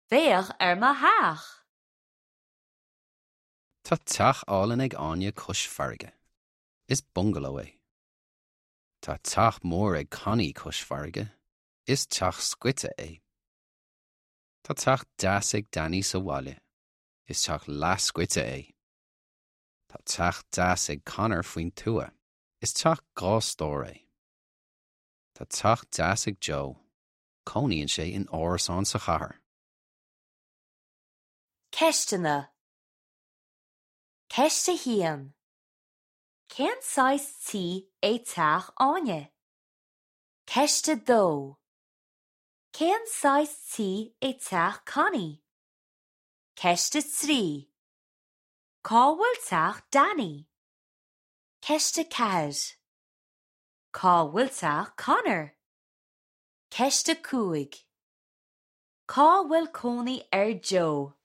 Féach ar mo theach! Tá teach álainn ag Áine cois farraige. Is bungaló é. Tá teach mór ag Connie cois farraige. Is teach scoite é. Tá teach deas ag Danny sa bhaile. Is teach leathscoite é. Tá teach deas ag Conor faoin tuath. Is teach 2 stór é. Tá teach deas ag Joe. Cónaíonn sé in árasán sa chathair. Ceisteanna Ceist 1. Cén saghas tí é teach Áine? Ceist 2. Cén saghas tí é teach Connie? Ceist 3. Cá bhfuil teach Danny? Ceist 4. Cá bhfuil teach Conor? Ceist 5. Cá bhfuil cónaí ar Joe?